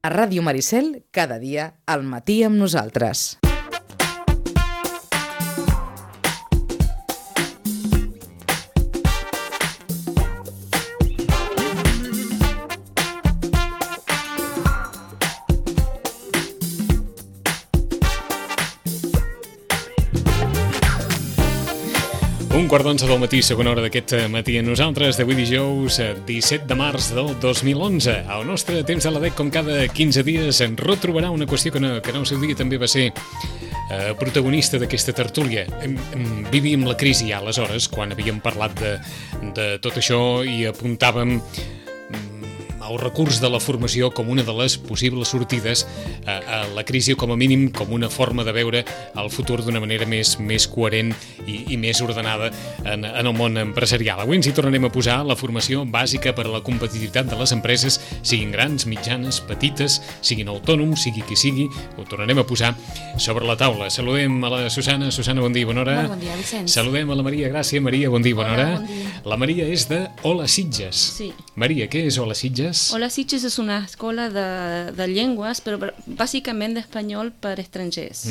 A Ràdio Maricel, cada dia, al matí amb nosaltres. Un quart d'onze del matí, segona hora d'aquest matí a nosaltres, d'avui dijous 17 de març del 2011. Al nostre temps de la DEC, com cada 15 dies, ens retrobarà una qüestió que en el seu dia també va ser protagonista d'aquesta tertúlia. Vivíem la crisi ja aleshores, quan havíem parlat de tot això i apuntàvem el recurs de la formació com una de les possibles sortides a la crisi, o com a mínim com una forma de veure el futur d'una manera més coherent i més ordenada en el món empresarial. Avui ens hi tornarem a posar la formació bàsica per a la competitivitat de les empreses, siguin grans, mitjanes, petites, siguin autònoms, sigui qui sigui, ho tornarem a posar sobre la taula. Saludem a la Susana. Susana, bon dia, bona hora. Bon dia, Vicenç. Saludem a la Maria Gràcia. Maria, bon dia, bona hora. Bon dia. La Maria és de Hola Sitges. Sí. Maria, què és Hola Sitges? Hola Sitges és una escola de llengües, però bàsicament d'espanyol per estrangers.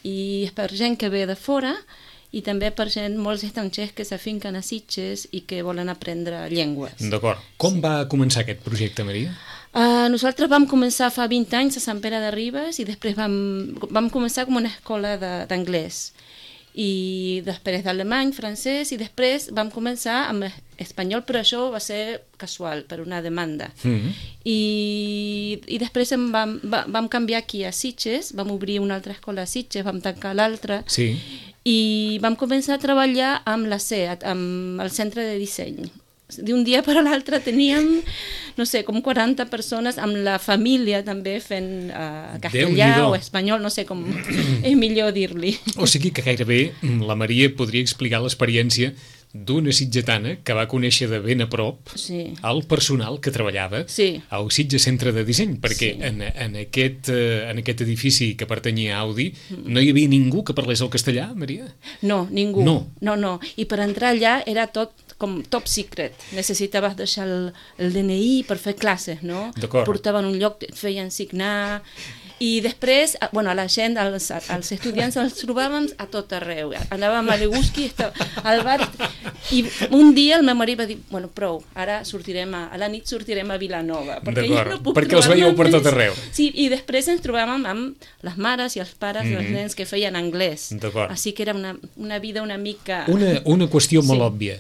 I és per gent que ve de fora i també per gent, molts estrangers que s'afinquen a Sitges i que volen aprendre llengües. D'acord. Com va començar aquest projecte, Maria? Nosaltres vam començar fa 20 anys a Sant Pere de Ribes i després vam començar com una escola d'anglès. I després d'alemany, francès, i després vam començar amb espanyol, però això va ser casual, per una demanda. I després vam canviar aquí a Sitges, vam obrir una altra escola a Sitges, vam tancar l'altra, Sí. i vam començar a treballar amb la CEAT, amb el centre de disseny. D'un dia per a l'altre teníem, no sé, com 40 persones, amb la família també fent castellà o espanyol, no sé com és millor dir-li. O sigui que gairebé la Maria podria explicar l'experiència d'una sitgetana que va conèixer de ben a prop el personal que treballava al Sitges Centre de Disseny, perquè en aquest edifici que pertanyia a Audi no hi havia ningú que parlés el castellà, Maria? No, ningú. No. I per entrar allà era tot com top secret. Necessitaves deixar el DNI per fer classes, no? Portaven un lloc, et feien signar. I després, a la gent, als estudiants els trobàvem a tot arreu. Anàvem a Leguski, al bar, i un dia el meu marit va dir, prou, ara a la nit sortirem a Vilanova. Perquè els veieu per tot arreu. Sí, i després ens trobàvem amb les mares i els pares dels nens que feien anglès. Així que era una vida una mica... Una qüestió molt òbvia.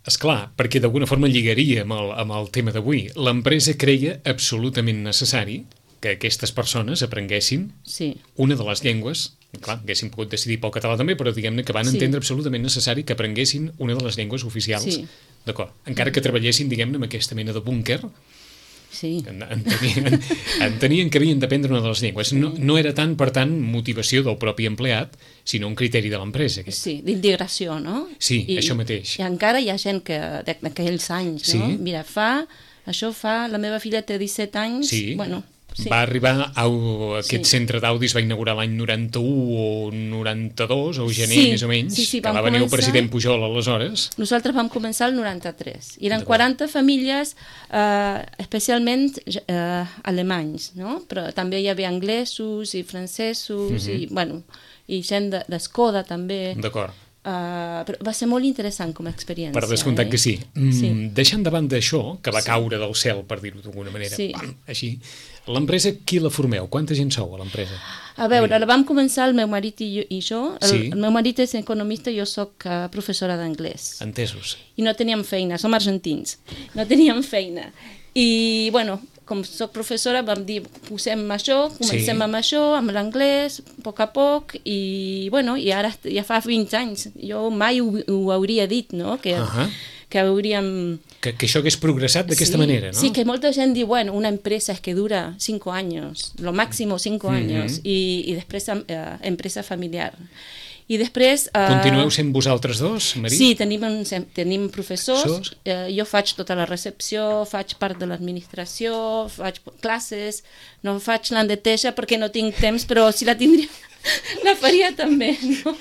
Esclar, perquè d'alguna forma lligaria amb el tema d'avui. L'empresa creia absolutament necessari que aquestes persones aprenguessin una de les llengües, clar, haguessin pogut decidir pel català també, però diguem-ne que van entendre absolutament necessari que aprenguessin una de les llengües oficials. D'acord. Encara que treballessin, diguem-ne, amb aquesta mena de búnquer, entenien que havien d'aprendre una de les llengües. No era tant, per tant, motivació del propi empleat, sinó un criteri de l'empresa. Sí, d'integració, no? Sí, això mateix. I encara hi ha gent que d'aquells anys, no? Mira, la meva filla té 17 anys, va arribar a aquest centre d'Audi, es va inaugurar l'any 91 o 92, o gener més o menys, que va venir el president Pujol aleshores. Nosaltres vam començar el 93. I eren 40 famílies, especialment alemanys, no? Però també hi havia anglesos i francesos i gent d'Escoda també. D'acord. Però va ser molt interessant com a experiència. Per descomptat que sí. Deixant de banda això, que va caure del cel, per dir-ho d'alguna manera, així, l'empresa, qui la formeu? Quanta gent sou a l'empresa? A veure, la vam començar el meu marit i jo. El meu marit és economista i jo soc professora d'anglès. Entesos. I no teníem feina, som argentins. No teníem feina. I, com soc professora, vam dir, comencem amb això, amb l'anglès, a poc, i ara ja fa 20 anys. Jo mai ho hauria dit, no?, que hauríem... Que això hagués progressat d'aquesta manera, no? Sí, que molta gent diu, una empresa es que dura 5 anys, lo máximo 5 anys, i després empresa familiar. I després... Continueu sent vosaltres dos, Maria? Sí, tenim professors, jo faig tota la recepció, faig part de l'administració, faig classes, no faig l'endeteja perquè no tinc temps, però si la tindria... La faria també, no?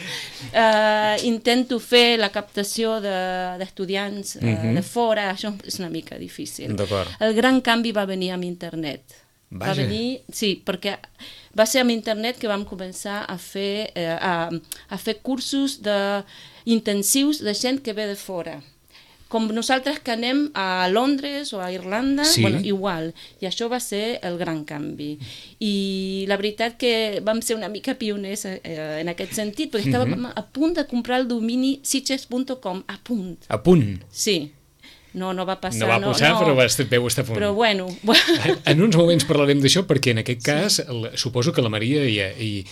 Intento fer la captació d'estudiants de fora, això és una mica difícil. El gran canvi va venir amb internet. Vaja. Va venir, sí, perquè va ser amb internet que vam començar a fer cursos intensius de gent que ve de fora. Com nosaltres que anem a Londres o a Irlanda, sí. Bueno, igual. I això va ser el gran canvi. I la veritat que vam ser una mica pioners en aquest sentit, perquè estàvem a punt de comprar el domini sitges.com, a punt. A punt? Sí. No va passar. No va passar, però vau estar a punt. Però bueno. En uns moments parlarem d'això, perquè en aquest cas suposo que la Maria i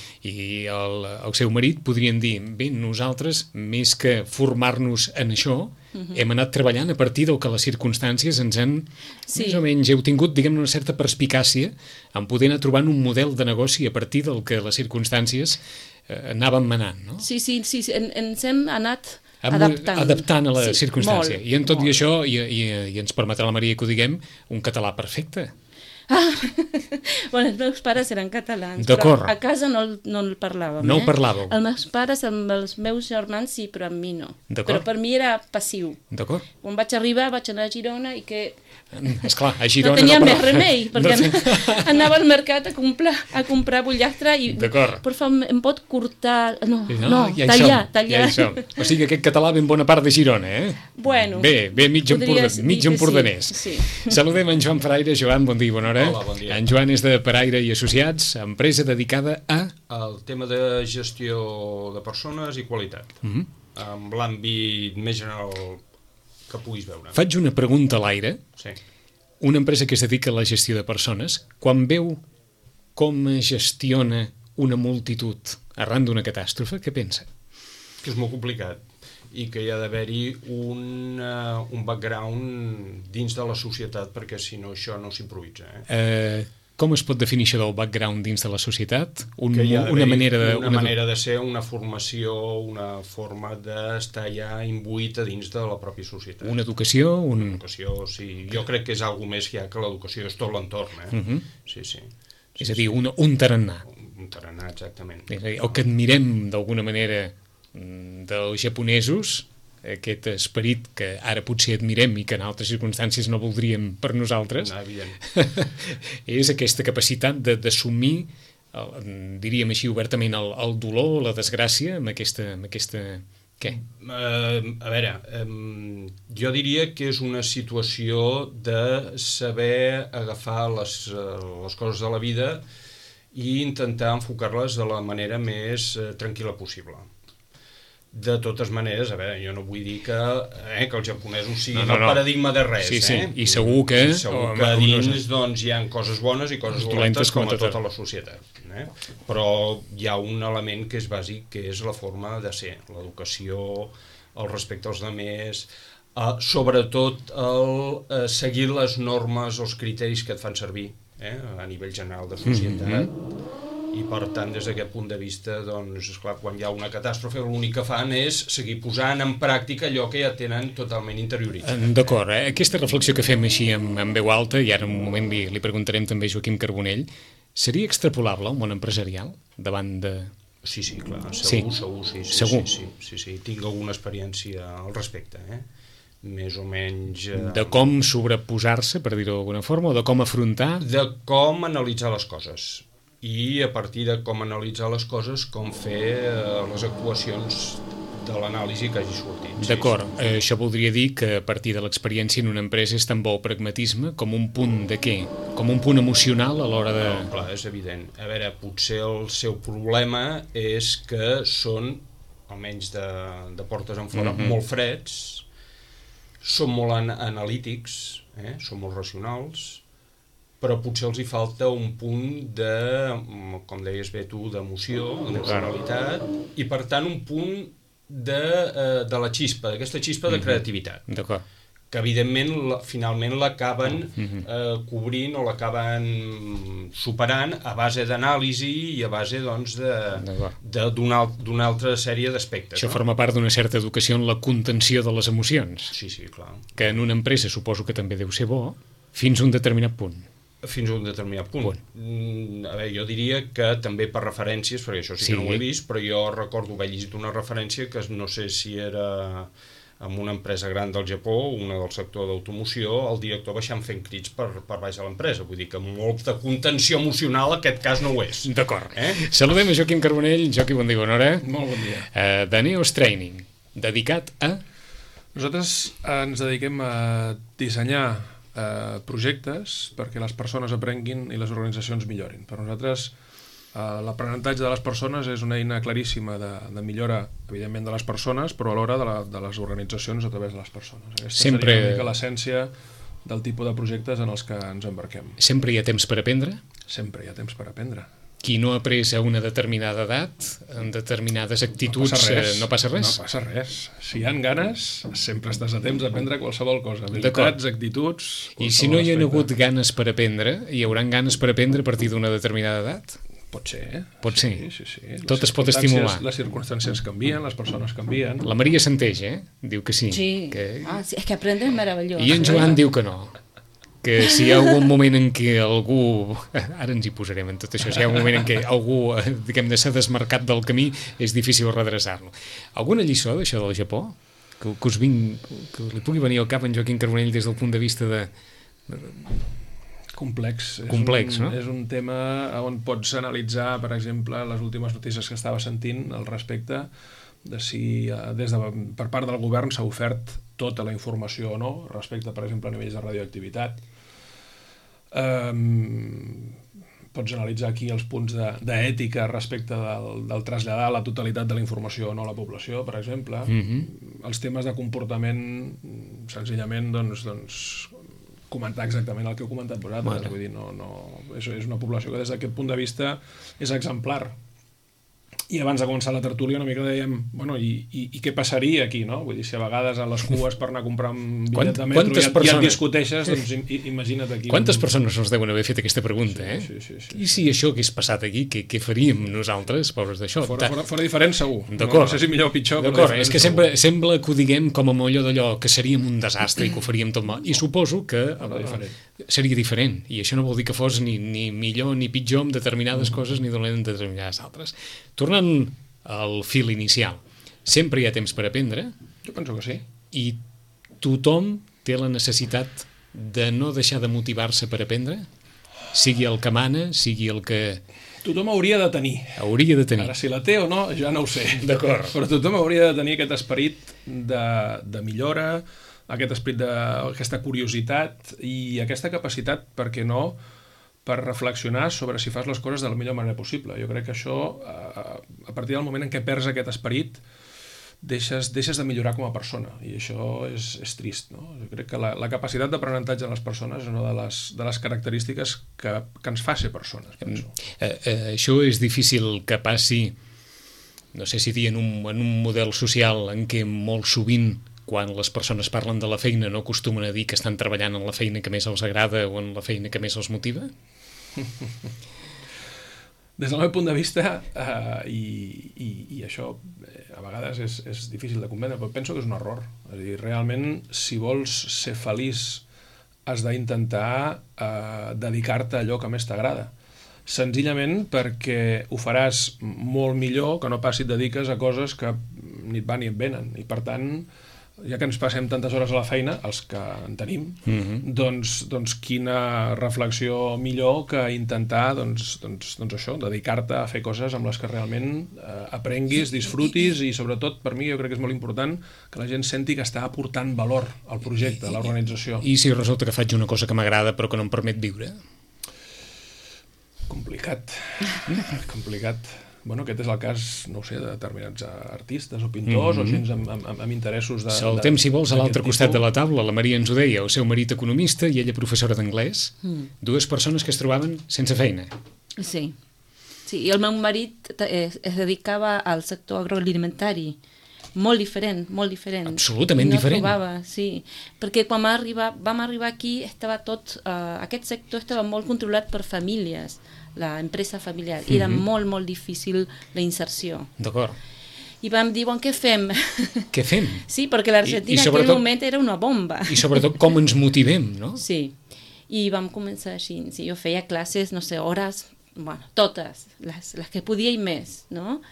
el seu marit podrien dir, bé, nosaltres, més que formar-nos en això, hem anat treballant a partir del que les circumstàncies ens han, més o menys, heu tingut, diguem, una certa perspicàcia en poder anar trobant un model de negoci a partir del que les circumstàncies anaven manant, no? Sí, ens hem anat adaptant a la circumstància. I en tot i això, i ens permetrà la Maria que ho diguem, un català perfecte. Bueno, els meus pares eren catalans, però a casa no el parlàvem. No el parlàveu? Els meus pares, amb els meus germans sí, però amb mi no. Però per mi era passiu. D'acord. Quan vaig arribar, vaig anar a Girona i que... Esclar, a Girona... No tenia més remei, perquè anava al mercat a comprar pollastre i... D'acord. Per favor, em pot cortar... No, tallar. Ja o sigui, aquest català ben bona part de Girona, eh? Bueno. Bé, mig empordanès. Sí. Saludem en Joan Paraire. Joan, bon dia, bona hora. Hola, bon dia. En Joan és de Paraire i Associats, empresa dedicada a... El tema de gestió de persones i qualitat, amb l'àmbit més general que puguis veure. Faig una pregunta a l'aire. Sí. Una empresa que es dedica a la gestió de persones, quan veu com es gestiona una multitud arran d'una catàstrofe, què pensa? Que és molt complicat i que hi ha d'haver-hi un background dins de la societat, perquè si no això no s'improvisa. Com es pot definir això del background dins de la societat? Una manera de ser, una formació, una forma d'estar ja imbuït a dins de la pròpia societat. Una educació? Una educació, sí. Jo crec que és alguna més ja que l'educació, és tot l'entorn. Sí. És a dir, un tarannà. Un tarannà, exactament. O que admirem d'alguna manera dels japonesos, aquest esperit que ara potser admirem i que en altres circumstàncies no voldríem per nosaltres, és aquesta capacitat d'assumir, diríem així obertament, el dolor, la desgràcia, amb aquesta... Què? A veure, jo diria que és una situació de saber agafar les coses de la vida i intentar enfocar-les de la manera més tranquil·la possible. De totes maneres, a veure, jo no vull dir que els japonesos siguin el paradigma de res. Sí. I segur que dins hi ha coses bones i coses dolentes com a tota la societat. Però hi ha un element que és bàsic, que és la forma de ser, l'educació, el respecte als altres, sobretot el seguir les normes, els criteris que et fan servir a nivell general de societat. I per tant, des d'aquest punt de vista, doncs, esclar, quan hi ha una catàstrofe, l'únic que fan és seguir posant en pràctica allò que ja tenen totalment interioritzat. D'acord, aquesta reflexió que fem així en veu alta, i ara en un moment li preguntarem també a Joaquim Carbonell, seria extrapolable al món empresarial davant de... Sí, clar, segur. Sí. Tinc alguna experiència al respecte, més o menys... De com sobreposar-se, per dir-ho d'alguna forma, o de com afrontar... De com analitzar les coses. I a partir de com analitzar les coses, com fer les actuacions de l'anàlisi que hagi sortit. D'acord, això voldria dir que a partir de l'experiència en una empresa és tan bo el pragmatisme com un punt de què? Com un punt emocional a l'hora de... No, clar, és evident. A veure, potser el seu problema és que són, almenys de portes en fora, molt freds, són molt analítics, són molt racionals, però potser els hi falta un punt de, com deies bé tu, d'emoció, d'emocionalitat, i per tant un punt de la xispa, d'aquesta xispa de creativitat. D'acord. Que evidentment finalment l'acaben cobrint o l'acaben superant a base d'anàlisi i a base d'una altra sèrie d'aspectes. Això forma part d'una certa educació en la contenció de les emocions. Sí, clar. Que en una empresa suposo que també deu ser bo fins a un determinat punt. Fins a un determinat punt. A veure, jo diria que també per referències, perquè això sí que no ho he vist, però jo recordo haver llegit una referència que no sé si era amb una empresa gran del Japó, una del sector d'automoció, el director baixant fent crits per baix a l'empresa. Vull dir que molt de contenció emocional aquest cas no ho és. D'acord. Saludem a Joaquim Carbonell. Joaquim, bon dia, bona hora. Molt bon dia. De Neos Training, dedicat a... Nosaltres ens dediquem a dissenyar projectes perquè les persones aprenguin i les organitzacions millorin. Per nosaltres l'aprenentatge de les persones és una eina claríssima de millora, evidentment, de les persones, però alhora de les organitzacions a través de les persones. Aquesta seria una mica l'essència del tipus de projectes en els que ens embarquem. Sempre hi ha temps per aprendre? Sempre hi ha temps per aprendre. Qui no ha après a una determinada edat, en determinades actituds, no passa res? No passa res. Si hi ha ganes, sempre estàs a temps d'aprendre qualsevol cosa. Habilitats, actituds... I si no hi ha hagut ganes per aprendre, hi hauran ganes per aprendre a partir d'una determinada edat? Pot ser. Pot ser. Sí. Tot es pot estimular. Les circumstàncies canvien, les persones canvien. La Maria Santeix, Diu que sí. Sí. Sí, és que aprendre és meravellós. I en Joan diu que no. Que si hi ha algun moment en què algú, ara ens hi posarem en tot això, si hi ha un moment en què algú, diguem-ne, s'ha desmarcat del camí, és difícil redreçar-lo. Alguna lliçó d'això del Japó? Que li pugui venir al cap en Joaquim Carbonell des del punt de vista de... Complex, no? És un tema on pots analitzar, per exemple, les últimes notícies que estava sentint al respecte de si per part del govern s'ha ofert tota la informació o no, respecte, per exemple, a nivells de radioactivitat. Pots analitzar aquí els punts d'ètica respecte del traslladar la totalitat de la informació o no a la població, per exemple. Els temes de comportament, senzillament, doncs comentar exactament el que heu comentat vosaltres. Vull dir, és una població que des d'aquest punt de vista és exemplar. I abans de començar la tertúlia una mica dèiem, bueno, i què passaria aquí, no? Vull dir, si a vegades a les cues per anar a comprar un bitllet de metro ja et discuteixes, doncs imagina't aquí. Quantes persones ens deuen haver fet aquesta pregunta, Sí. I si això hagués passat aquí, què faríem nosaltres, pobres d'això? Fora diferent, segur. D'acord. No sé si millor o pitjor, però és que sembla que ho diguem com a allò d'allò, que seríem un desastre i que ho faríem tot mal. I suposo que seria diferent. I això no vol dir que fos ni millor ni pitjor en determinades coses ni dolent en determinades altres. Tornant al fil inicial, sempre hi ha temps per aprendre. Jo penso que sí. I tothom té la necessitat de no deixar de motivar-se per aprendre? Sigui el que mana, sigui el que... Tothom hauria de tenir. Hauria de tenir. Ara, si la té o no, ja no ho sé. D'acord. Però tothom hauria de tenir aquest esperit de millora, aquest esperit d'aquesta curiositat i aquesta capacitat, per què no, per reflexionar sobre si fas les coses de la millor manera possible. Jo crec que això, a partir del moment en què perds aquest esperit, deixes de millorar com a persona, i això és trist, no? Jo crec que la capacitat d'aprenentatge de les persones és una de les característiques que ens fa ser persones, penso. Això és difícil que passi, no sé si dir, en un model social en què molt sovint, quan les persones parlen de la feina, no acostumen a dir que estan treballant en la feina que més els agrada o en la feina que més els motiva? Des del meu punt de vista, i això a vegades és difícil de comprendre, però penso que és un error. És a dir, realment, si vols ser feliç, has d'intentar dedicar-te a allò que més t'agrada. Senzillament perquè ho faràs molt millor que no pas si et dediques a coses que ni et van ni et venen. I per tant, ja que ens passem tantes hores a la feina, els que en tenim, doncs quina reflexió millor que intentar això, dedicar-te a fer coses amb les que realment aprenguis, disfrutis i sobretot, per mi, jo crec que és molt important que la gent senti que està aportant valor al projecte, a l'organització. I si resulta que faig una cosa que m'agrada però que no em permet viure? Complicat. Bueno, aquest és el cas, no ho sé, de determinats artistes o pintors o gent amb interessos de... Saltem, si vols, a l'altre costat de la taula. La Maria ens ho deia, el seu marit economista i ella professora d'anglès. Dues persones que es trobaven sense feina. Sí, i el meu marit es dedicava al sector agroalimentari. Molt diferent. Absolutament diferent. No trobava, sí. Perquè quan vam arribar aquí, aquest sector estava molt controlat per famílies, la empresa familiar. Era molt, molt difícil la inserció. D'acord. I vam dir, què fem? Què fem? Sí, perquè l'Argentina en aquell moment era una bomba. I sobretot com ens motivem, no? Sí. I vam començar així. Sí, jo feia classes, no sé, hores bueno, totes, les que podia i més, no?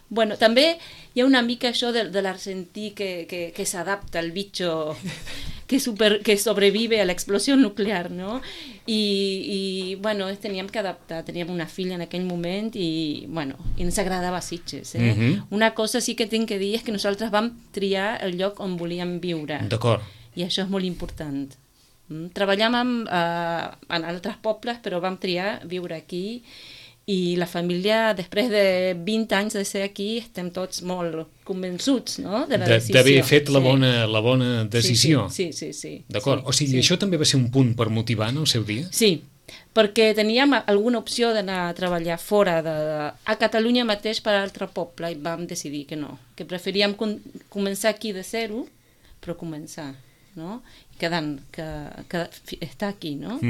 Bueno, també hi ha una mica això de l'argentí que s'adapta al bitxo, que sobrevive a l'explosió nuclear, no? I bueno, teníem que adaptar, teníem una filla en aquell moment i, bueno, i ens agradava Sitges, Una cosa sí que tinc que dir és que nosaltres vam triar el lloc on volíem viure. D'acord. I això és molt important. Treballàvem en altres pobles, però vam triar viure aquí i la família, després de 20 anys de ser aquí, estem tots molt convençuts, no?, de la decisió. D'haver fet la bona decisió. Sí. D'acord. O sigui, això també va ser un punt per motivar en el seu dia? Sí, perquè teníem alguna opció d'anar a treballar fora a Catalunya mateix per a altre poble i vam decidir que no, que preferíem començar aquí de zero, però començar, no?, que està aquí, no?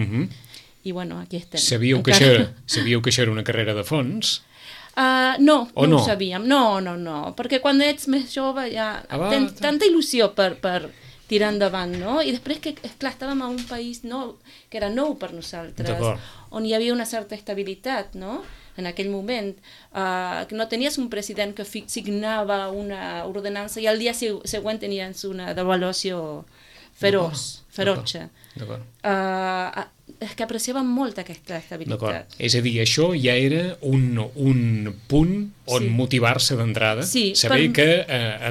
I bueno, aquí estem. Sabíeu que això era una carrera de fons? No ho sabíem. No, perquè quan ets més jove ja tens tanta il·lusió per tirar endavant, no? I després que, esclar, estàvem a un país nou, que era nou per nosaltres, on hi havia una certa estabilitat, no?, en aquell moment, que no tenies un president que signava una ordenança i al dia següent tenies una devaluació ferotge. És que apreciàvem molt aquesta estabilitat. És a dir, això ja era un punt on motivar-se d'entrada, saber que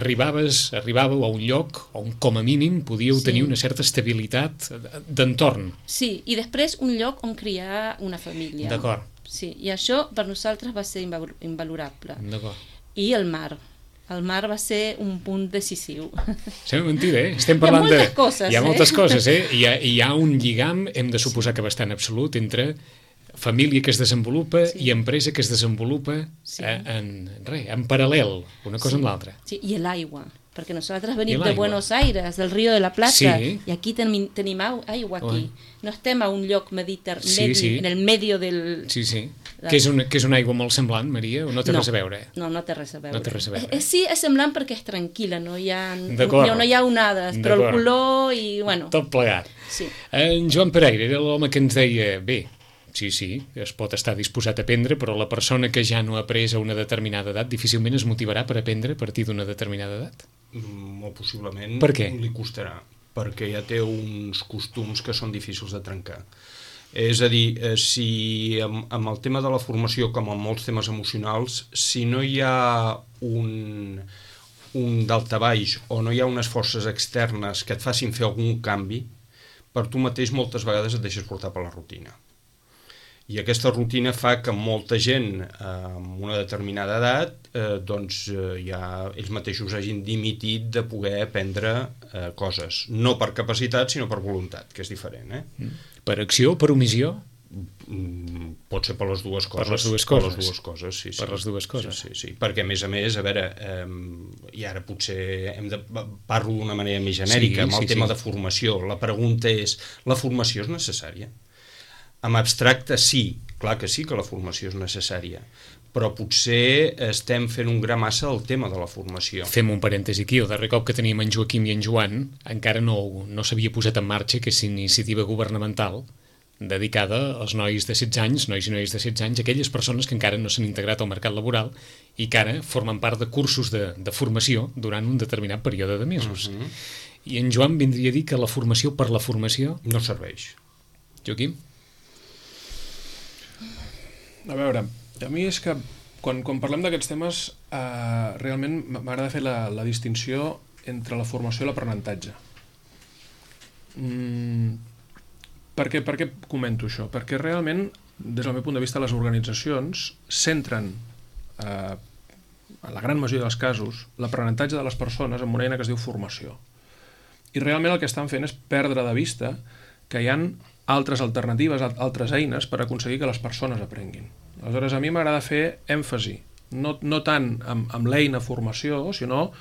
arribàveu a un lloc on com a mínim podíeu tenir una certa estabilitat d'entorn. Sí, i després un lloc on criar una família. D'acord. Sí, i això per nosaltres va ser invalorable. D'acord. I el mar. El mar va ser un punt decisiu. Sembla mentida, Estem parlant hi ha moltes coses, Hi ha moltes coses, Hi ha un lligam, hem de suposar que bastant absolut, entre família que es desenvolupa i empresa que es desenvolupa en paral·lel, una cosa amb l'altra. Sí, i l'aigua, perquè nosaltres venim de Buenos Aires, del Río de la Plata, i aquí tenim aigua aquí. No estem a un lloc mediterrani, en el medio del... Sí. Que és una aigua molt semblant, Maria, o no té res a veure? No té res a veure. Sí, és semblant perquè és tranquil·la, no hi ha onades, però el color i, bueno... Tot plegat. Sí. En Joan Pereira era l'home que ens deia, bé, sí, es pot estar disposat a aprendre, però la persona que ja no ha après a una determinada edat difícilment es motivarà per aprendre a partir d'una determinada edat? Molt possiblement. Per què? Li costarà, perquè ja té uns costums que són difícils de trencar. És a dir, si amb el tema de la formació, com amb molts temes emocionals, si no hi ha un daltabaix o no hi ha unes forces externes que et facin fer algun canvi, per tu mateix moltes vegades et deixes portar per la rutina. I aquesta rutina fa que molta gent amb una determinada edat ja ells mateixos hagin dimitit de poder aprendre coses. No per capacitat, sinó per voluntat, que és diferent. Per acció o per omissió? Pot ser per les dues coses. Per les dues coses? Per les dues coses, sí. Per les dues coses? Sí. Perquè, a més, a veure, i ara potser parlo d'una manera més genèrica, amb el tema de formació. La pregunta és, la formació és necessària? En abstracte, sí, clar que sí que la formació és necessària, però potser estem fent un gra massa al tema de la formació. Fem un parèntesi aquí, el darrer cop que teníem en Joaquim i en Joan encara no s'havia posat en marxa aquesta iniciativa governamental dedicada als nois de 16 anys, nois i noies de 16 anys, aquelles persones que encara no s'han integrat al mercat laboral i que ara formen part de cursos de formació durant un determinat període de mesos. I en Joan vindria a dir que la formació per la formació... no serveix. Joaquim? A veure, a mi és que quan parlem d'aquests temes realment m'agrada fer la distinció entre la formació i l'aprenentatge. Per què comento això? Perquè realment, des del meu punt de vista, les organitzacions centren, en la gran majoria dels casos, l'aprenentatge de les persones en una eina que es diu formació. I realment el que estan fent és perdre de vista que hi ha altres alternatives, altres eines per aconseguir que les persones aprenguin. Aleshores, a mi m'agrada fer èmfasi, no tant amb l'eina formació, sinó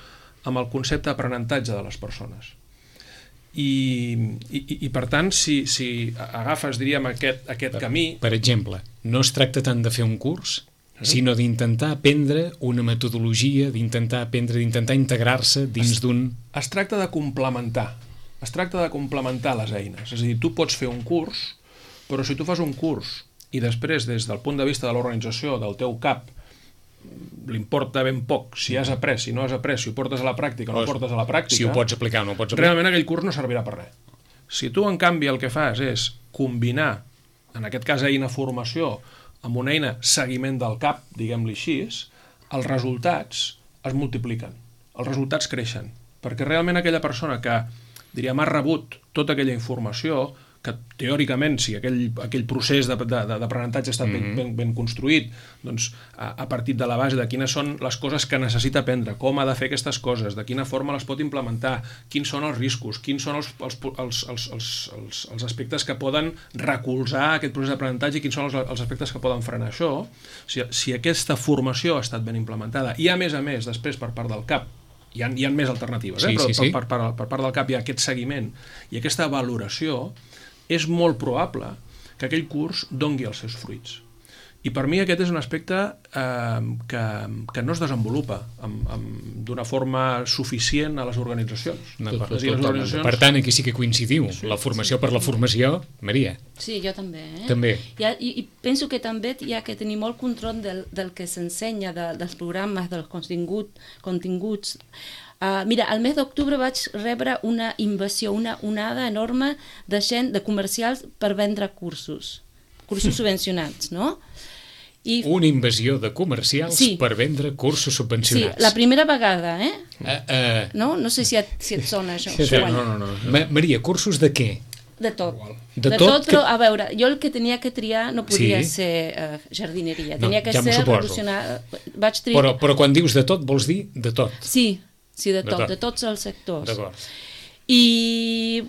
amb el concepte d'aprenentatge de les persones. I per tant, si agafes, diríem, aquest camí... Per exemple, no es tracta tant de fer un curs, sinó d'intentar aprendre una metodologia, d'intentar integrar-se dins d'un... Es tracta de complementar. Es tracta de complementar les eines. És a dir, tu pots fer un curs, però si tu fas un curs i després, des del punt de vista de l'organització, del teu cap, l'importa ben poc si has après, si no has après, si ho portes a la pràctica o no ho portes a la pràctica, si ho pots aplicar o no ho pots aplicar, realment aquell curs no servirà per res. Si tu, en canvi, el que fas és combinar, en aquest cas eina formació, amb una eina seguiment del cap, diguem-li així, els resultats es multipliquen, els resultats creixen, perquè realment aquella persona que, diríem, ha rebut tota aquella informació, que teòricament, si aquell procés d'aprenentatge ha estat ben construït, doncs ha partit de la base de quines són les coses que necessita aprendre, com ha de fer aquestes coses, de quina forma les pot implementar, quins són els riscos, quins són els aspectes que poden recolzar aquest procés d'aprenentatge i quins són els aspectes que poden frenar això. Si aquesta formació ha estat ben implementada i, a més, després, per part del CAP, hi ha més alternatives, però per part del CAP hi ha aquest seguiment i aquesta valoració, és molt probable que aquell curs dongui els seus fruits. I per mi aquest és un aspecte que no es desenvolupa d'una forma suficient a les organitzacions. Per tant, aquí sí que coincidiu. La formació per la formació, Maria. Sí, jo també. També. I penso que també hi ha que tenir molt control del que s'ensenya, dels programes, dels continguts. Mira, al mes d'octubre vaig rebre una invasió, una onada enorme de gent, de comercials per vendre cursos subvencionats, no? Una invasió de comercials per vendre cursos subvencionats. Sí, la primera vegada, No sé si et sona això. No. Maria, cursos de què? De tot. De tot, però a veure, jo el que tenia que triar no podia ser jardineria, tenia que ser revolucionar. Però quan dius de tot, vols dir de tot? Sí, de tot, de tots els sectors. D'acord. I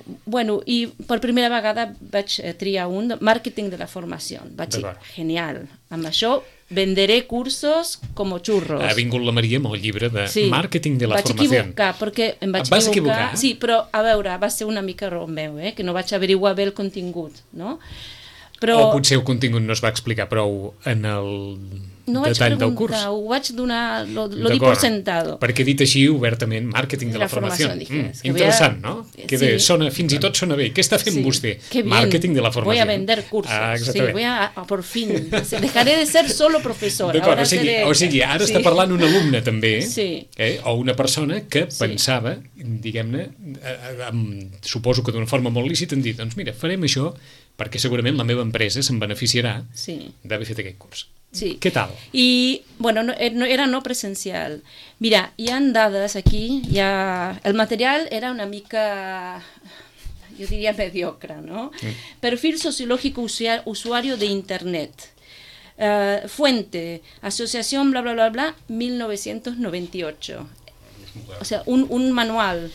per primera vegada vaig triar un de màrqueting de la formació. Vaig dir, genial, amb això venderé cursos com xurros. Ha vingut la Maria amb el llibre de màrqueting de la formació. Vaig equivocar, perquè em vaig equivocar. Sí, però a veure, va ser una mica error meu, que no vaig averiguar bé el contingut, no? O potser el contingut no es va explicar prou en el detall del curs. No ho vaig donar, lo di por sentado. Perquè dit així, obertament, màrqueting de la formació. Interessant, no? Sona, fins i tot sona bé. Què està fent vostè? Màrqueting de la formació. Voy a vender cursos. Voy a, por fin, dejaré de ser solo profesora. D'acord, o sigui, ara està parlant un alumne també, o una persona que pensava, diguem-ne, suposo que d'una forma molt lícita, en dir, doncs mira, farem això perquè segurament la meva empresa se'n beneficiarà d'haver fet aquest curs. Sí. Què tal? I, era no presencial. Mira, hi ha dades aquí, el material era una mica, yo diría mediocre, ¿no? Perfil sociológico usuario de Internet. Fuente, asociación, bla, bla, bla, bla, 1998. O sea, un manual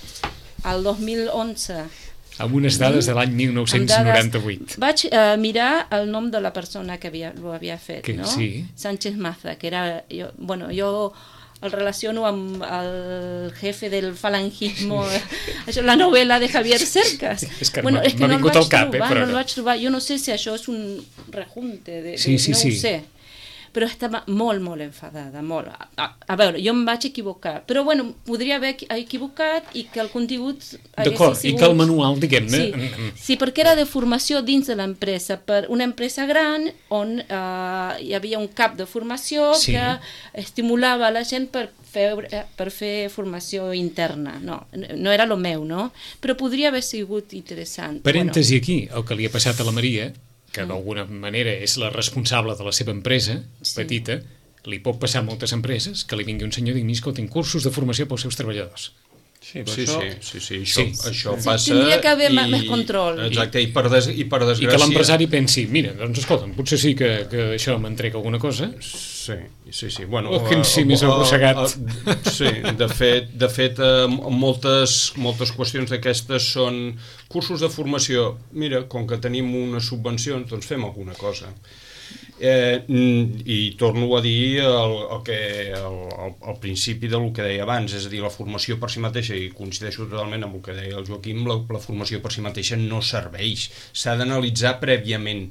al 2011. Amb unes dades de l'any 1998. Vaig mirar el nom de la persona que ho havia fet, no? Sánchez Maza, que era... Jo el relaciono amb el jefe del falangismo, la novel·la de Javier Cercas. És que m'ha vingut al cap, però no el vaig trobar. Jo no sé si això és un rejunte, no ho sé. Però estava molt, molt enfadada, molt. A veure, jo em vaig equivocar, però podria haver equivocat i que el contingut hagués sigut... I que el manual, diguem-ne... Sí, perquè era de formació dins de l'empresa, per una empresa gran on hi havia un cap de formació que estimulava la gent per fer formació interna. No era el meu, no? Però podria haver sigut interessant. Parèntesi aquí, el que li ha passat a la Maria, que d'alguna manera és la responsable de la seva empresa, petita, li pot passar a moltes empreses que li vingui un senyor i digui, escolta, cursos de formació pels seus treballadors. Sí, això passa... Tindria que haver més control. Exacte, i per desgràcia... I que l'empresari pensi, mira, doncs escolta'm, potser sí que això m'entrega alguna cosa. Sí. Que en si més arrossegat. Sí, de fet, moltes qüestions d'aquestes són cursos de formació. Mira, com que tenim una subvenció, doncs fem alguna cosa. I torno a dir el principi del que deia abans, és a dir, la formació per si mateixa, i coincideixo totalment amb el que deia el Joaquim, la formació per si mateixa no serveix, s'ha d'analitzar prèviament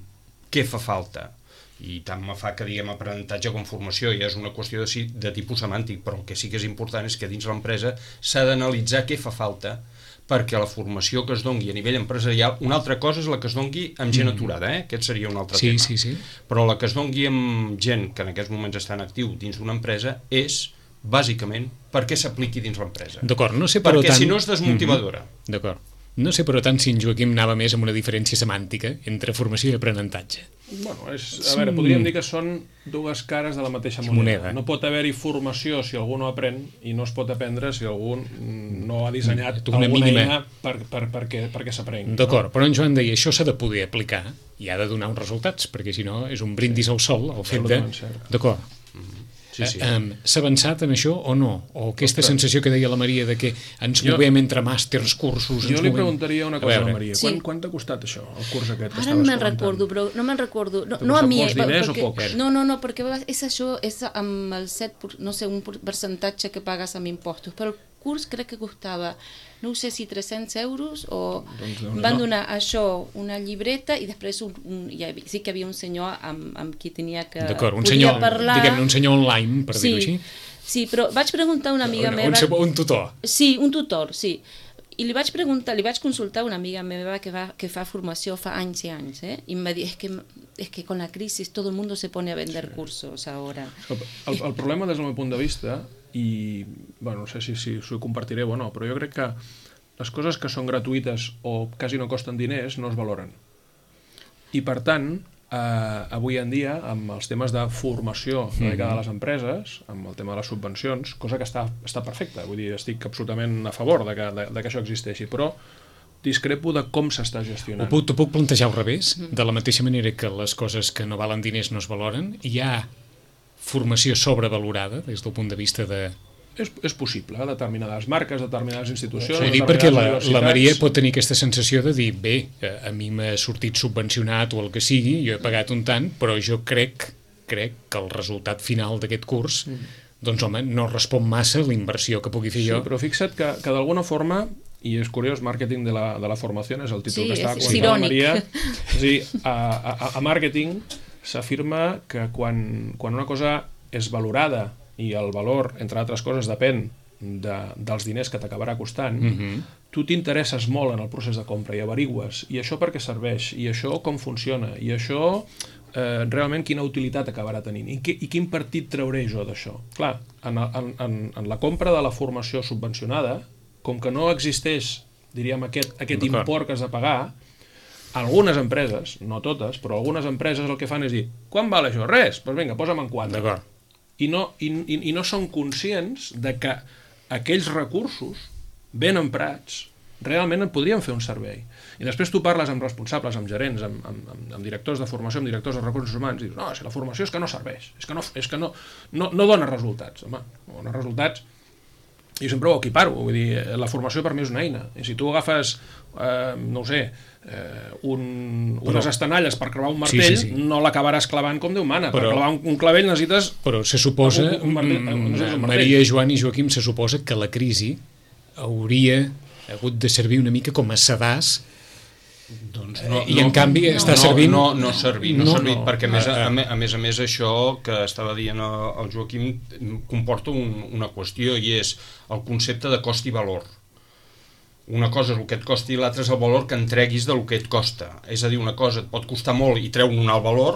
què fa falta, i tant me fa que diguem aprenentatge com formació, ja és una qüestió de tipus semàntic, però el que sí que és important és que dins l'empresa s'ha d'analitzar què fa falta perquè la formació que es dongui a nivell empresarial, una altra cosa és la que es dongui amb gent aturada, aquest seria un altre tema. Sí. Però la que es dongui amb gent que en aquests moments està en actiu dins d'una empresa és, bàsicament, perquè s'apliqui dins l'empresa. D'acord, no sé, però perquè si no és desmotivadora. D'acord. No sé, però tant si en Joaquim anava més amb una diferència semàntica entre formació i aprenentatge. Bueno, a veure, podríem dir que són dues cares de la mateixa moneda. No pot haver-hi formació si algú no aprèn i no es pot aprendre si algú no ha dissenyat alguna eina perquè s'aprengui. D'acord, però en Joan deia, això s'ha de poder aplicar i ha de donar uns resultats, perquè si no és un brindis al sol, el fet de... D'acord. S'ha avançat en això o no? O aquesta sensació que deia la Maria de que ens movem entre màsters, cursos... Jo li preguntaria una cosa a la Maria. Quant t'ha costat això, el curs aquest? Ara no me'n recordo, però no me'n recordo. No a mi... diners o poc? No, perquè és això, és amb el 7, no sé, un percentatge que pagues amb impostos, però el curs crec que costava, no sé si 300 euros o van donar això, una llibreta i després sí que havia un senyor amb qui tenia que podia parlar. Diguem-ne, un senyor online, per dir-ho així. Sí, però vaig preguntar a una amiga meva... Un tutor. Sí, un tutor, sí. I li vaig consultar a una amiga meva que fa formació fa anys i anys, y me dijo, es que con la crisis todo el mundo se pone a vender cursos ahora. El problema des del meu punt de vista, i bueno, no sé si ho compartireu o no, però jo crec que les coses que són gratuïtes o quasi no costen diners no es valoren. I per tant, avui en dia, amb els temes de formació dedicada a les empreses, amb el tema de les subvencions, cosa que està perfecta, vull dir, estic absolutament a favor de que això existeixi, però discrepo de com s'està gestionant. T'ho puc plantejar al revés, de la mateixa manera que les coses que no valen diners no es valoren, hi ha formació sobrevalorada des del punt de vista de... És possible, determinades marques, determinades institucions... Ho dic perquè la Maria pot tenir aquesta sensació de dir, bé, a mi m'ha sortit subvencionat o el que sigui, jo he pagat un tant, però jo crec que el resultat final d'aquest curs, doncs home, no respon massa a la inversió que pugui fer jo. Sí, però fixa't que d'alguna forma, i és curiós, Màrqueting de la formació és el títol que estava comentant la Maria, és a dir, a màrqueting s'afirma que quan una cosa és valorada i el valor, entre altres coses, depèn dels diners que t'acabarà costant, tu t'interesses molt en el procés de compra i averigües, i això per què serveix, i això com funciona, i això realment quina utilitat acabarà tenint, i quin partit trauré jo d'això. Clar, en la compra de la formació subvencionada, com que no existeix, diríem, aquest import que has de pagar, algunes empreses, no totes, però algunes empreses el que fan és dir, quan val això? Res, doncs vinga, posa'm en 4. D'acord. I no són conscients de que aquells recursos ben emprats realment en podrien fer un servei. I després tu parles amb responsables, amb gerents, amb directors de formació, amb directors de recursos humans, i dius, no, si la formació és que no serveix, és que no dona resultats. Home, no dona resultats. Jo sempre ho equiparo, vull dir, la formació per mi és una eina. I si tu agafes, no ho sé, unes estanalles per clavar un martell, no l'acabaràs clavant com Déu mana. Per clavar un clavell necessites... Però se suposa, Maria, Joan i Joaquim, se suposa que la crisi hauria hagut de servir una mica com a sedàs, i en canvi està servint... No ha servit, perquè a més això que estava dient el Joaquim comporta una qüestió, i és el concepte de cost i valor. Una cosa és el que et costi i l'altra és el valor que entreguis del que et costa. És a dir, una cosa et pot costar molt i treu un alt valor,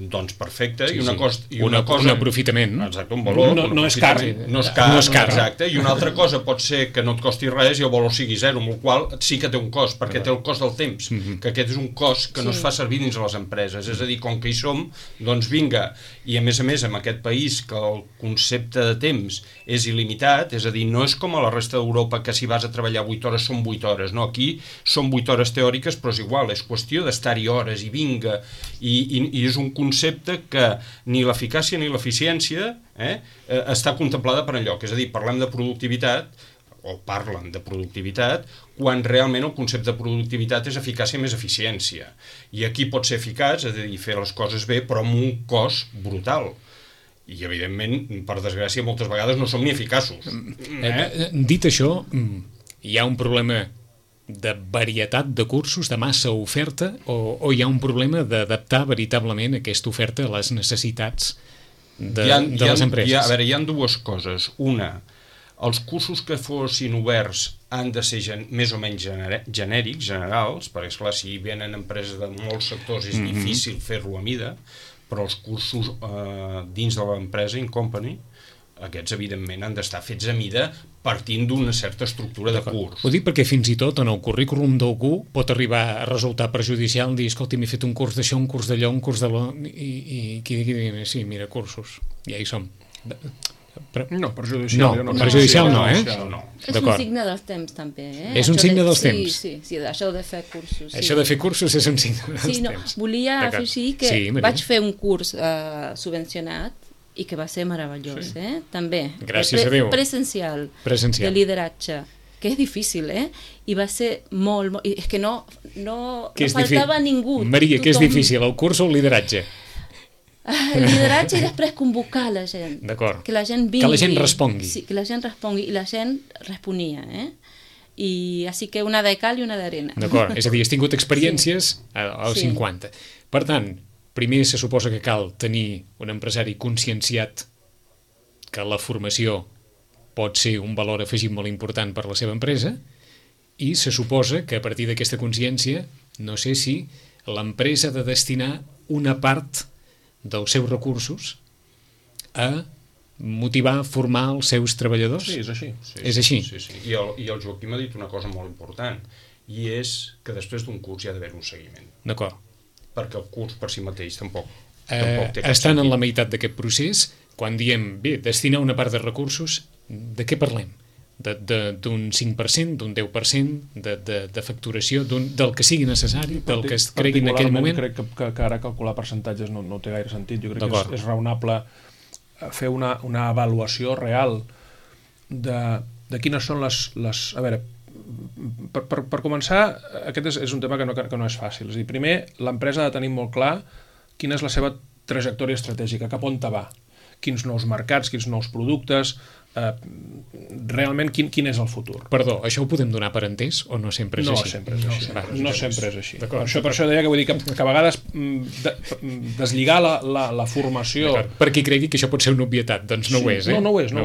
doncs perfecte, i una cosa... Un aprofitament. Exacte, un valor. No és car. No és car, exacte. I una altra cosa pot ser que no et costi res i el valor sigui zero, amb el qual sí que té un cost, perquè té el cost del temps, que aquest és un cost que no es fa servir dins de les empreses. És a dir, com que hi som, doncs vinga. I a més, amb aquest país que el concepte de temps és il·limitat, és a dir, no és com a la resta d'Europa que si vas a treballar 8 hores són 8 hores, no, aquí són 8 hores teòriques, però és igual, és qüestió d'estar-hi hores i vinga, i és un concepte que ni l'eficàcia ni l'eficiència està contemplada per enlloc, és a dir, parlem de productivitat, o parlen de productivitat, quan realment el concepte de productivitat és eficàcia més eficiència, i aquí pot ser eficaç, és a dir, fer les coses bé, però amb un cost brutal. I, evidentment, per desgràcia, moltes vegades no som ni eficaços. Dit això, hi ha un problema de varietat de cursos, de massa oferta, o hi ha un problema d'adaptar veritablement aquesta oferta a les necessitats de les empreses? A veure, hi ha dues coses. Una, Els cursos que fossin oberts han de ser més o menys genèrics, generals, perquè, esclar, si venen empreses de molts sectors és difícil fer-lo a mida, però els cursos dins de l'empresa, in company, aquests, evidentment, han d'estar fets a mida partint d'una certa estructura de curs. Ho dic perquè fins i tot en el currículum d'algú pot arribar a resultar perjudicial dir, escolta, m'he fet un curs d'això, un curs d'allò, un curs d'allò, i qui digui, sí, mira, cursos, ja hi som. No, perjudicial no. Perjudicial no, No. És un signe dels temps, també. És un signe dels temps? Sí, això de fer cursos. Això de fer cursos és un signe dels temps. Volia afegir que vaig fer un curs subvencionat i que va ser meravellós, també. Gràcies a Déu. Presencial. De lideratge, que és difícil, i va ser molt... És que no faltava ningú. Maria, què és difícil, el curs o el lideratge? El lideratge i després convocar la gent. D'acord. Que la gent vingui. Que la gent respongui. Sí, que la gent respongui, i la gent responia, I així que una de cal i una d'arena. D'acord, és a dir, has tingut experiències als 50. Per tant, primer se suposa que cal tenir un empresari conscienciat que la formació pot ser un valor afegit molt important per la seva empresa, i se suposa que a partir d'aquesta consciència, no sé si l'empresa ha de destinar una part dels seus recursos a motivar, formar els seus treballadors. Sí, és així. És així. Sí. I el Joaquim ha dit una cosa molt important, i és que després d'un curs hi ha d'haver un seguiment. D'acord. Perquè el curs per si mateix tampoc té cap estan sentit. en la meitat d'aquest procés, quan diem, bé, destinar una part de recursos, de què parlem? D'un 5%, d'un 10%, de facturació, del que sigui necessari, del que es cregui en aquell moment? Crec que ara calcular percentatges no té gaire sentit. Jo crec que és raonable fer una avaluació real de quines són les... A veure, per començar, aquest és un tema que no és fàcil. És a dir, primer, l'empresa ha de tenir molt clar quina és la seva trajectòria estratègica, cap on te va, quins nous mercats, quins nous productes, realment quin és el futur. Perdó, això ho podem donar per entès o no sempre és així? No sempre és així. Per això deia que vull dir que a vegades deslligar la formació... Per qui cregui que això pot ser una obvietat, doncs no ho és, No ho és.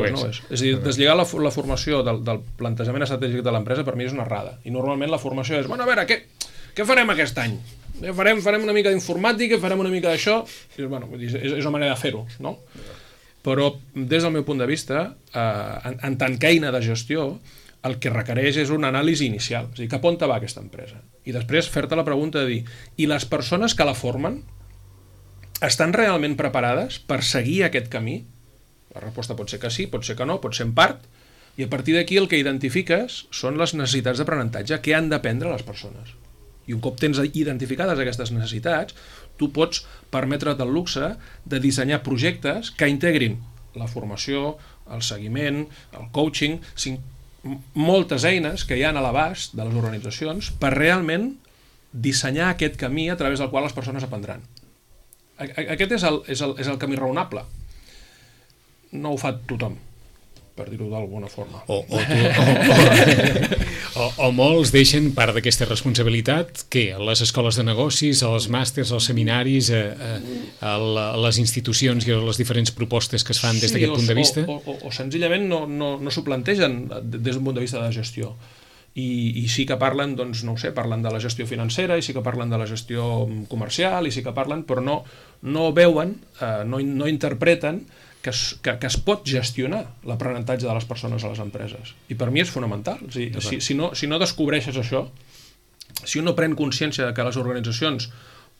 És a dir, deslligar la formació del plantejament estratègic de l'empresa per mi és una errada. I normalment la formació és, bueno, a veure, què farem aquest any? Farem una mica d'informàtica, farem una mica d'això... És una manera de fer-ho, no? Però des del meu punt de vista, en tant que eina de gestió, el que requereix és una anàlisi inicial, és a dir, cap on te va aquesta empresa? I després fer-te la pregunta de dir, i les persones que la formen estan realment preparades per seguir aquest camí? La resposta pot ser que sí, pot ser que no, pot ser en part, i a partir d'aquí el que identifiques són les necessitats d'aprenentatge que han d'aprendre les persones. I un cop tens identificades aquestes necessitats, tu pots permetre't el luxe de dissenyar projectes que integrin la formació, el seguiment, el coaching, moltes eines que hi ha a l'abast de les organitzacions per realment dissenyar aquest camí a través del qual les persones aprendran. Aquest és el camí raonable. No ho fa tothom, per dir-ho d'alguna forma. O molts deixen part d'aquesta responsabilitat a les escoles de negocis, als màsters, als seminaris, a les institucions i a les diferents propostes que es fan des d'aquest punt de vista? O senzillament no s'ho plantegen des d'un punt de vista de gestió. I sí que parlen, doncs, no ho sé, parlen de la gestió financera, i sí que parlen de la gestió comercial, i sí que parlen, però no veuen, no interpreten que es pot gestionar l'aprenentatge de les persones a les empreses. I per mi és fonamental. Si no descobreixes això, si un no pren consciència de que les organitzacions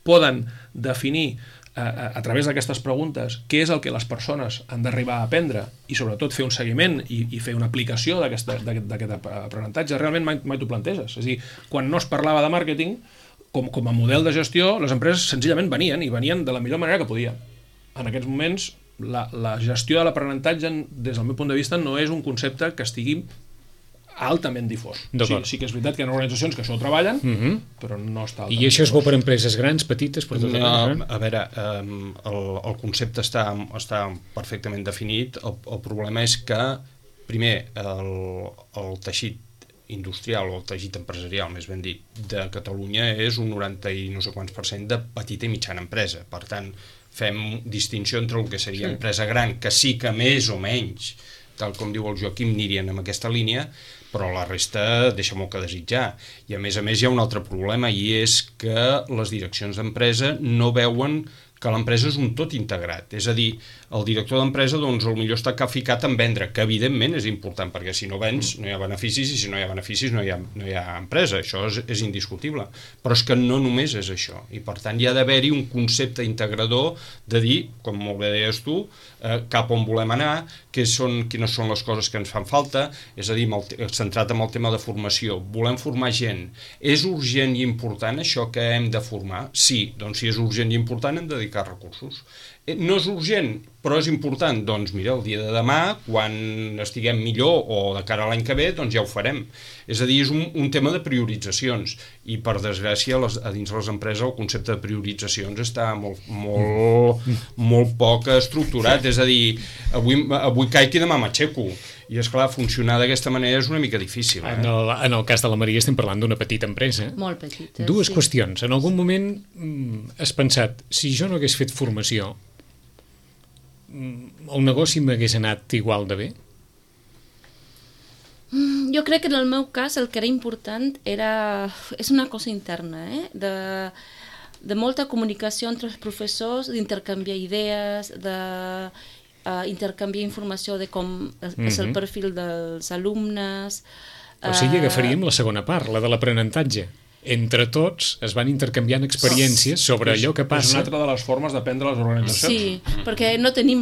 poden definir a través d'aquestes preguntes què és el que les persones han d'arribar a aprendre i sobretot fer un seguiment i fer una aplicació d'aquest aprenentatge, realment mai t'ho planteges. És a dir, quan no es parlava de màrqueting, com a model de gestió, les empreses senzillament venien de la millor manera que podien. En aquests moments, la gestió de l'aprenentatge, des del meu punt de vista, no és un concepte que estigui altament difós. Sí que és veritat que hi ha organitzacions que això ho treballen, però no està altament. I això és bo per empreses grans, petites? A veure, el concepte està perfectament definit. El problema és que, primer, el teixit industrial o el teixit empresarial, més ben dit, de Catalunya és un 90 i no sé quants % de petita i mitjana empresa. Per tant, fem distinció entre el que seria empresa gran, que sí que més o menys tal com diu el Joaquim, anirien en aquesta línia, però la resta deixa molt que desitjar. I a més hi ha un altre problema, i és que les direccions d'empresa no veuen que l'empresa és un tot integrat. És a dir, el director d'empresa doncs potser està ficat en vendre, que evidentment és important, perquè si no vens no hi ha beneficis, i si no hi ha beneficis no hi ha empresa, això és indiscutible. Però és que no només és això, i per tant hi ha d'haver-hi un concepte integrador de dir, com molt bé deies tu, cap on volem anar, quines són les coses que ens fan falta, és a dir, centrat en el tema de formació. Volem formar gent. És urgent i important això que hem de formar? Sí, doncs si és urgent i important hem de dedicar recursos. No és urgent, però és important. Doncs mira, el dia de demà, quan estiguem millor o de cara a l'any que ve, doncs ja ho farem. És a dir, és un tema de prioritzacions, i per desgràcia a dins les empreses el concepte de prioritzacions està molt poc estructurat. És a dir, avui caic i demà m'aixeco. I és clar, funcionar d'aquesta manera és una mica difícil. En el cas de la Maria estem parlant d'una petita empresa. Molt petita. Dues qüestions. En algun moment has pensat, si jo no hagués fet formació, el negoci m'hagués anat igual de bé? Jo crec que en el meu cas el que era important és una cosa interna, de molta comunicació entre els professors, d'intercanviar idees, intercanviar informació de com és el perfil dels alumnes. O sigui, agafaríem la segona part, la de l'aprenentatge. Entre tots es van intercanviant experiències sobre allò que passa. És una altra de les formes d'aprendre les organitzacions. Sí, perquè no tenim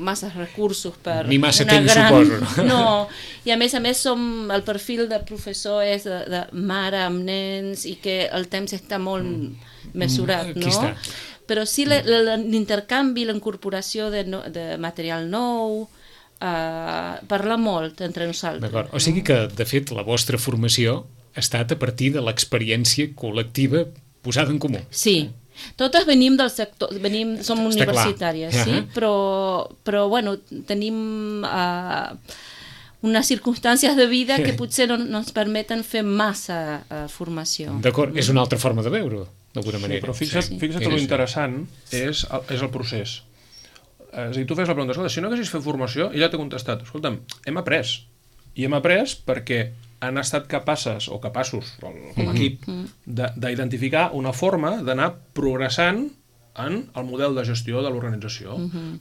massa recursos per ni massa temps, suposo. No, i a més el perfil de professor és de mare amb nens, i que el temps està molt mesurat, no? Aquí està. Però sí l'intercanvi, la incorporació de material nou, parla molt entre nosaltres. D'acord, o sigui que, de fet, la vostra formació ha estat a partir de l'experiència col·lectiva posada en comú. Sí, totes venim del sector, som universitàries, sí, però bueno, tenim unes circumstàncies de vida que potser no ens permeten fer massa formació. D'acord, és una altra forma de veure-ho, d'alguna manera. Però fixa't que l'interessant és el procés. És a dir, tu fes la pregunta, escolta, si no haguessis fet formació, ella t'ha contestat, escolta'm, hem après. I hem après perquè han estat capaços com a equip d'identificar una forma d'anar progressant en el model de gestió de l'organització,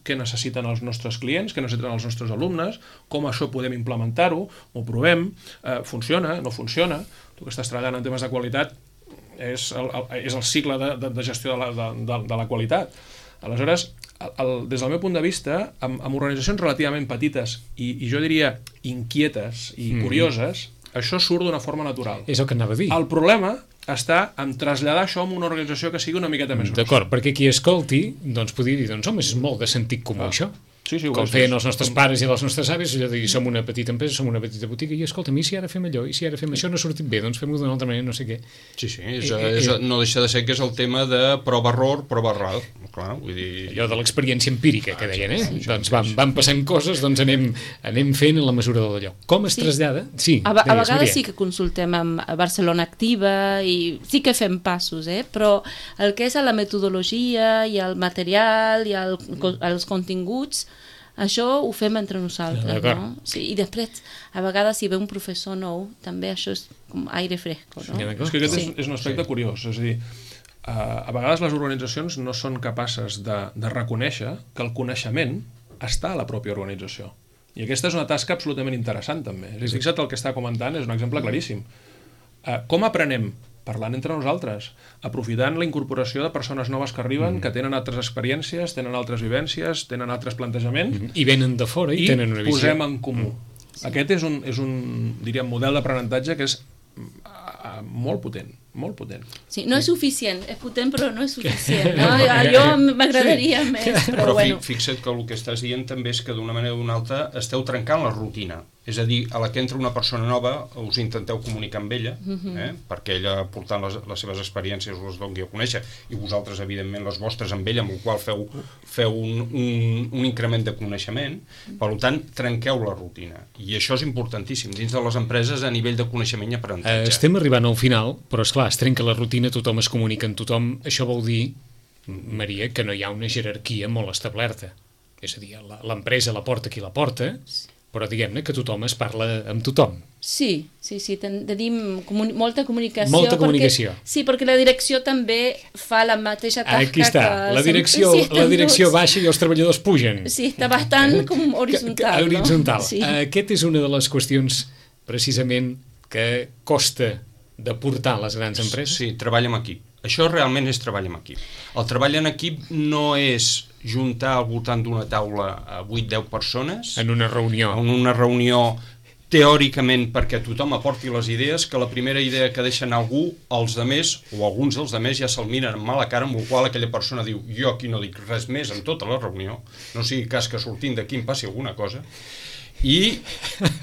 què necessiten els nostres clients, què necessiten els nostres alumnes, com això podem implementar-ho, ho provem, funciona, no funciona. Tu que estàs treballant en temes de qualitat és el cicle de gestió de la qualitat. Aleshores, des del meu punt de vista, amb organitzacions relativament petites i jo diria inquietes i curioses, això surt d'una forma natural. És el que anava a dir. El problema està en traslladar això a una organització que sigui una miqueta més grossa. D'acord, perquè qui escolti, doncs podria dir, doncs home, és molt de sentit comú això. Sí, com feien els nostres pares i les nostres avis, allò de dir, som una petita empresa, som una petita botiga, i escolta, i si ara fem allò, i si ara fem això, no ha sortit bé, doncs fem-ho d'una altra manera, no sé què. Sí, no deixa de ser que és el tema de prova-error, prova-error. Clar, vull dir... Allò de l'experiència empírica que deien, doncs van passant coses, doncs anem fent en la mesura de d'allò. Com es trasllada? Sí, a vegades sí que consultem amb Barcelona Activa i sí que fem passos, però el que és la metodologia i el material i els continguts, això ho fem entre nosaltres, no? Sí, i després, a vegades, si ve un professor nou, també això és com aire fresco, no? És que aquest és un aspecte curiós, és a dir, a vegades les organitzacions no són capaces de reconèixer que el coneixement està a la pròpia organització. I aquesta és una tasca absolutament interessant, també. És a dir, fixa't, el que està comentant és un exemple claríssim. Com aprenem? Parlant entre nosaltres, aprofitant la incorporació de persones noves que arriben, que tenen altres experiències, tenen altres vivències, tenen altres plantejaments... I venen de fora i tenen una visió. I posem en comú. Aquest és un diríem, model d'aprenentatge que és molt potent, molt potent. Sí, no és suficient, és potent però no és suficient. No? Jo m'agradaria més, però bueno. Fixa't que el que estàs dient també és que d'una manera o d'una altra esteu trencant la rutina. És a dir, a la que entra una persona nova us intenteu comunicar amb ella, perquè ella portant les seves experiències us doni a conèixer, i vosaltres evidentment les vostres amb ella, amb el qual feu un increment de coneixement. Per tant, trenqueu la rutina, i això és importantíssim dins de les empreses a nivell de coneixement i aprenentatge. Estem arribant al final, però esclar, es trenca la rutina, tothom es comunica amb tothom. Això vol dir, Maria, que no hi ha una jerarquia molt establerta. És a dir, l'empresa la porta qui la porta, però diguem-ne que tothom es parla amb tothom. Sí, tenim molta comunicació. Molta comunicació. Perquè la direcció també fa la mateixa tasca. Aquí està, la direcció baixa i els treballadors pugen. Sí, està bastant com horitzontal. Horitzontal. No? Sí. Aquest és una de les qüestions, precisament, que costa de portar a les grans empreses. Sí, treball en equip. Això realment és treball en equip. El treball en equip no és juntar al voltant d'una taula a 8-10 persones. En una reunió. En una reunió teòricament perquè tothom aporti les idees, que la primera idea que deixen algú, els demés, o alguns dels demés, ja se'l miren amb mala cara, amb la qual aquella persona diu, jo aquí no dic res més en tota la reunió, no sigui cas que sortint d'aquí em passi alguna cosa, i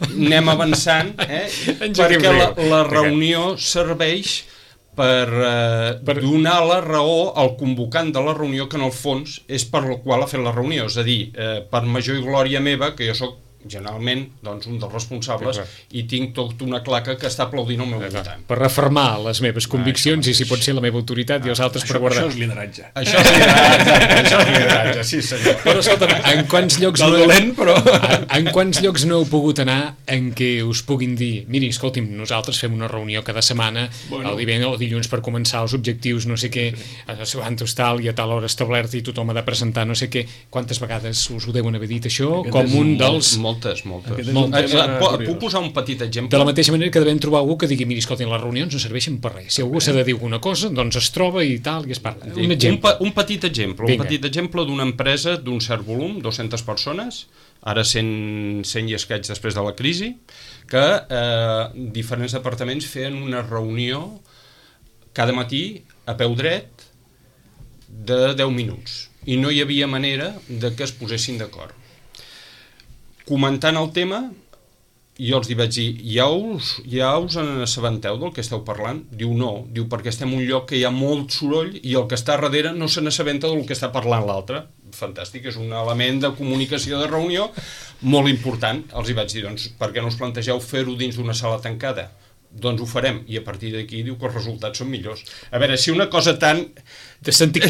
anem avançant, perquè la reunió serveix per donar la raó al convocant de la reunió, que en el fons és per la qual ha fet la reunió, és a dir, per major i glòria meva, que jo soc generalment doncs, un dels responsables i tinc tota una claca que està aplaudint al meu voltant. Per refermar les meves conviccions i si pot ser la meva autoritat i els altres per guardar. Això és lideratge. Això és lideratge, sí senyor. Però escolta, en quants llocs en quants llocs no heu pogut anar en què us puguin dir, miri, escolti'm, nosaltres fem una reunió cada setmana, el divendres o dilluns per començar els objectius, no sé què, a tal i a tal hora establert i tothom ha de presentar no sé què. Quantes vegades us ho deuen haver dit això? Com un dels... Moltes. Puc posar un petit exemple? De la mateixa manera que devem trobar algú que digui, miri, escolta, les reunions no serveixen per res. Si algú s'ha de dir alguna cosa, doncs es troba i tal, i es parla. Un exemple. Un petit exemple d'una empresa d'un cert volum, 200 persones, ara 100 i escaig després de la crisi, que diferents departaments feien una reunió cada matí a peu dret de 10 minuts. I no hi havia manera de que es posessin d'acord. Comentant el tema, jo els vaig dir, ja us n'assabenteu del que esteu parlant? Diu no, perquè estem en un lloc que hi ha molt soroll i el que està darrere no se n'assabenta del que està parlant l'altre. Fantàstic, és un element de comunicació de reunió molt important. Els vaig dir, doncs, per què no us plantegeu fer-ho dins d'una sala tancada? Doncs ho farem, i a partir d'aquí diu que els resultats són millors. A veure, si una cosa tan de sentit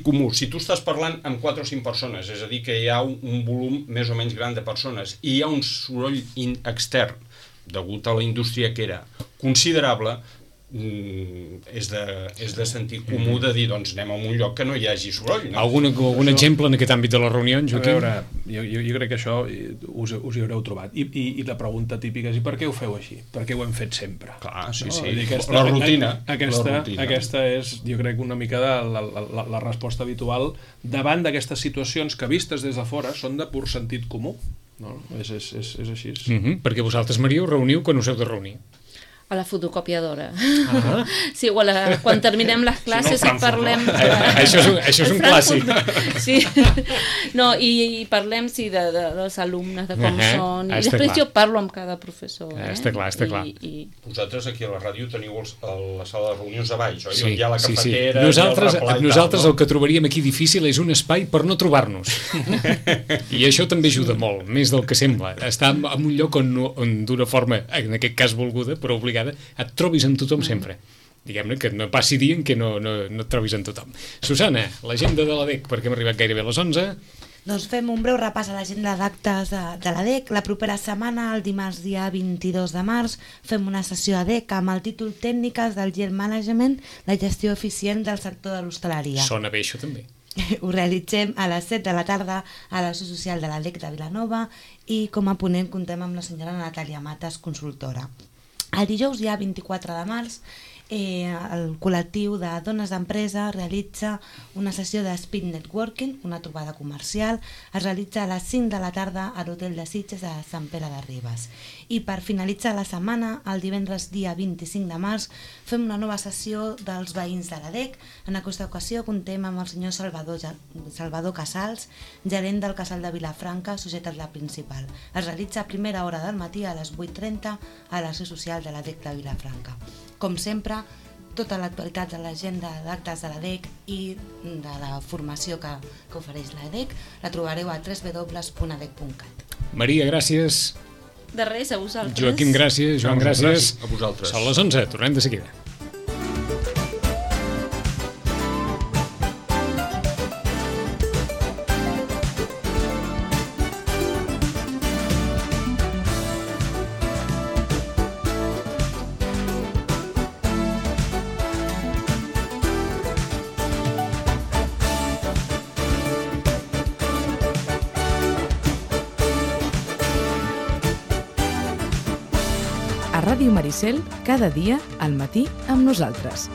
comú, si tu estàs parlant amb 4 o 5 persones, és a dir, que hi ha un volum més o menys gran de persones i hi ha un soroll extern degut a la indústria que era considerable, és de sentit comú de dir, doncs anem a un lloc que no hi hagi soroll. No? Algun exemple en aquest àmbit de les reunions, Joaquim? A veure, jo crec que això us hi haureu trobat. I la pregunta típica és, i per què ho feu així? Per què ho hem fet sempre? Clar, sí. La rutina. Aquesta és, jo crec, una mica la resposta habitual davant d'aquestes situacions que vistes des de fora són de pur sentit comú. No? És així. Perquè vosaltres, Maria, us reuniu quan us heu de reunir. A la fotocopiadora. Sí, quan terminem les classes i parlem... Això és un clàssic. Sí. No, i parlem, sí, dels alumnes, de com són. I després jo parlo amb cada professor. Està clar. Vosaltres aquí a la ràdio teniu la sala de reunions a baix, oi? Sí, hi ha la cafetera... Nosaltres el que trobaríem aquí difícil és un espai per no trobar-nos. I això també ajuda molt, més del que sembla. Estar en un lloc on d'una forma, en aquest cas volguda, però obligada, et trobis amb tothom sempre. Diguem-ne que no passi dia en què no et trobis amb tothom. Susana, l'agenda de l'ADEC, perquè hem arribat gairebé a les 11. Doncs fem un breu repàs a l'agenda d'actes de l'ADEC. La propera setmana, el dimarts dia 22 de març, fem una sessió ADEC amb el títol Tècniques del Yield Management, la gestió eficient del sector de l'hostaleria. Sona bé això també. Ho realitzem a les 7 de la tarda a la Seu Social de l'ADEC de Vilanova i com a ponent contem amb la senyora Natàlia Matas, consultora. El dijous, ja 24 de març, el col·lectiu de dones d'empresa realitza una sessió de Speed Networking, una trobada comercial. Es realitza a les 5 de la tarda a l'Hotel de Sitges a Sant Pere de Ribes. I per finalitzar la setmana, el divendres dia 25 de març, fem una nova sessió dels veïns de l'ADEC. En aquesta ocasió contem amb el senyor Salvador Casals, gerent del Casal de Vilafranca, societat la principal. Es realitza a primera hora del matí a les 8:30 a la Seu Social de l'ADEC de Vilafranca. Com sempre, tota l'actualitat de l'agenda d'actes de l'ADEC i de la formació que ofereix l'ADEC la trobareu a www.adec.cat. Maria, gràcies. De res, a vosaltres. Joaquim, gràcies. Joan, gràcies. A vosaltres. Són les 11, tornem de seguida. Ràdio Maricel, cada dia al matí amb nosaltres.